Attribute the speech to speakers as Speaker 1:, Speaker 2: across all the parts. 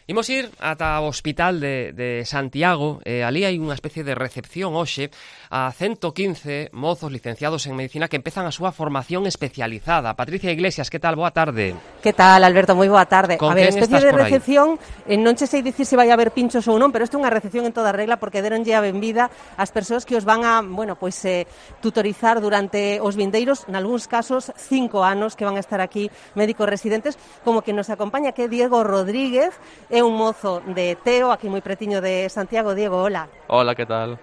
Speaker 1: Imos ir ata o hospital de Santiago, ali hai unha especie de recepción hoxe a 115 mozos licenciados en Medicina que empezan a súa formación especializada. Patricia Iglesias, que tal? Boa tarde.
Speaker 2: Que tal, Alberto? Moi boa tarde.
Speaker 1: Con
Speaker 2: a ver,
Speaker 1: quen
Speaker 2: especie
Speaker 1: estás
Speaker 2: de
Speaker 1: por aí?
Speaker 2: recepción, non che sei dicir se vai haber pinchos ou non, pero isto é unha recepción en toda regla porque deronlle a benvida ás persoas que os van a, tutorizar durante os vindeiros, nalgúns casos, 5 anos que van a estar aquí médicos residentes, como que nos acompaña que é Diego Rodríguez, é un mozo de Teo, aquí moi pretiño de Santiago. Diego, hola.
Speaker 3: Hola, que tal?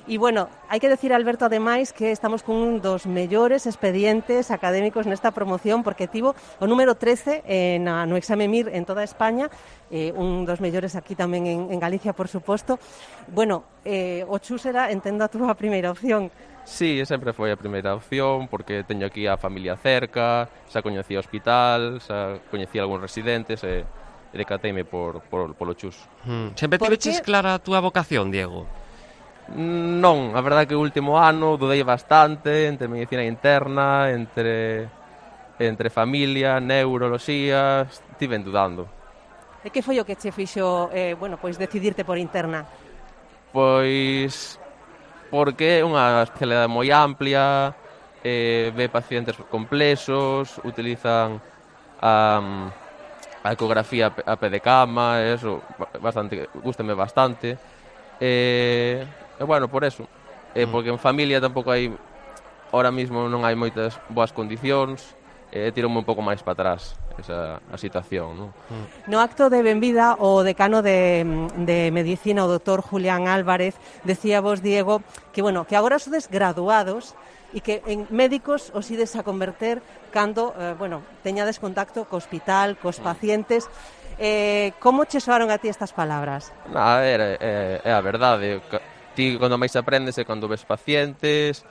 Speaker 2: E, bueno, hai que decir, Alberto, ademais, que estamos con un dos mellores expedientes académicos nesta promoción, porque tivo o número 13 no exame MIR en toda España, un dos mellores aquí tamén en Galicia, por suposto. Bueno, o CHUS era, entendo, a túa primeira opción.
Speaker 3: Sí, sempre foi a primeira opción, porque teño aquí a familia cerca, xa coñecía o hospital, xa coñecía algúns residentes, e decateime polo CHUS.
Speaker 1: Sempre tiveches clara a túa vocación, Diego?
Speaker 3: Non, a verdade que o último ano dudei bastante entre medicina interna, entre familia, neuroloxía, estive dudando.
Speaker 2: E que foi o que che fixo, decidirte por interna?
Speaker 3: Pois porque é unha especialidade moi amplia, ve pacientes complexos, utilizan a ecografía a pé de cama, eso gústame bastante. Bueno, por eso, porque en familia tampouco hai, ahora mismo non hai moitas boas condicións, tirome un pouco máis para atrás a situación, non?
Speaker 2: No acto de benvida, o decano de Medicina, o doutor Julián Álvarez, decía vos, Diego, que agora sodes graduados e que en médicos os ides a converter cando, teñades contacto co hospital, cos pacientes. Como che soaron a ti estas palabras?
Speaker 3: É a verdade. Ti, cando máis aprendes é cando ves pacientes,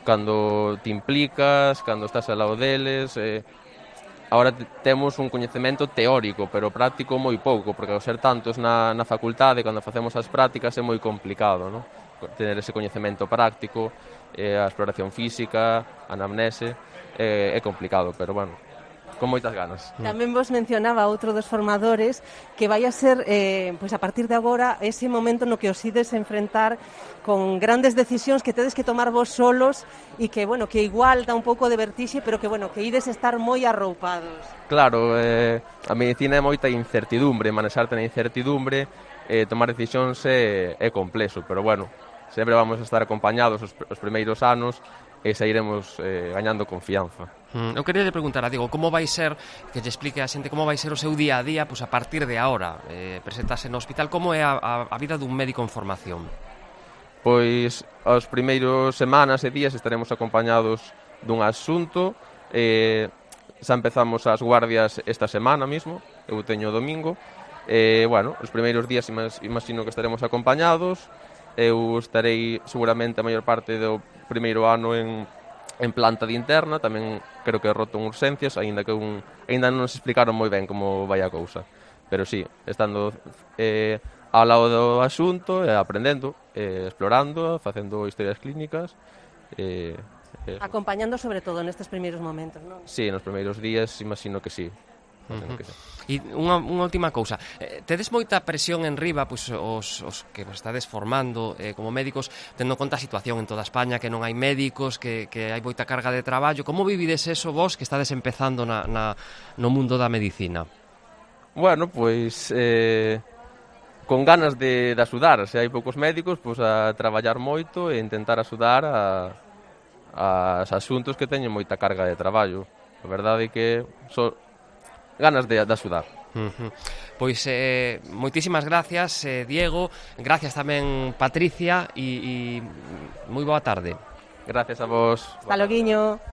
Speaker 3: cando te implicas, cando estás ao lado deles. Agora temos un coñecemento teórico, pero práctico moi pouco, porque ao ser tantos na facultade, cando facemos as prácticas é moi complicado, non? Tener ese coñecemento práctico, a exploración física, a anamnese, é complicado, pero bueno, con moitas ganas.
Speaker 2: Tamén vos mencionaba outro dos formadores que vai a ser, a partir de agora, ese momento no que os ides enfrentar con grandes decisións que tedes que tomar vos solos e que, que igual dá un pouco de vertixe, pero que ides estar moi arroupados.
Speaker 3: Claro, a medicina é moita incertidumbre, manexarte na incertidumbre, tomar decisións é complexo, pero bueno, sempre vamos a estar acompañados os primeiros anos e sairemos gañando confianza.
Speaker 1: Eu queria preguntar a Diego, como vai ser, que lle explique a xente como vai ser o seu día a día a partir de agora, presentarse no hospital, como é a vida dun médico en formación?
Speaker 3: Pois, as primeiros semanas e días estaremos acompañados dun asunto, xa empezamos as guardias esta semana mismo, eu teño o domingo, os primeiros días imagino que estaremos acompañados. Eu estarei seguramente a maior parte do primeiro ano en planta de interna, tamén creo que roto en urxencias, aínda non nos explicaron moi ben como vai a cousa. Pero sí, estando ao lado do asunto, aprendendo, explorando, facendo historias clínicas.
Speaker 2: Acompañando sobre todo nestes primeiros momentos, non?
Speaker 3: Sí, nos primeiros días imagino que sí.
Speaker 1: E unha última cousa, tedes moita presión en riba, os que vos estades formando como médicos, tendo en conta a situación en toda España, que non hai médicos, que hai moita carga de traballo. Como vivides eso vos que estades empezando no mundo da medicina?
Speaker 3: Bueno, pois con ganas de axudar. Se hai poucos médicos, pois a traballar moito e intentar axudar a asuntos que teñen moita carga de traballo. A verdade é que ganas de axudar.
Speaker 1: Pois moitísimas gracias, Diego, gracias tamén, Patricia, e moi boa tarde.
Speaker 3: Gracias a vos.
Speaker 2: Hasta loguiño.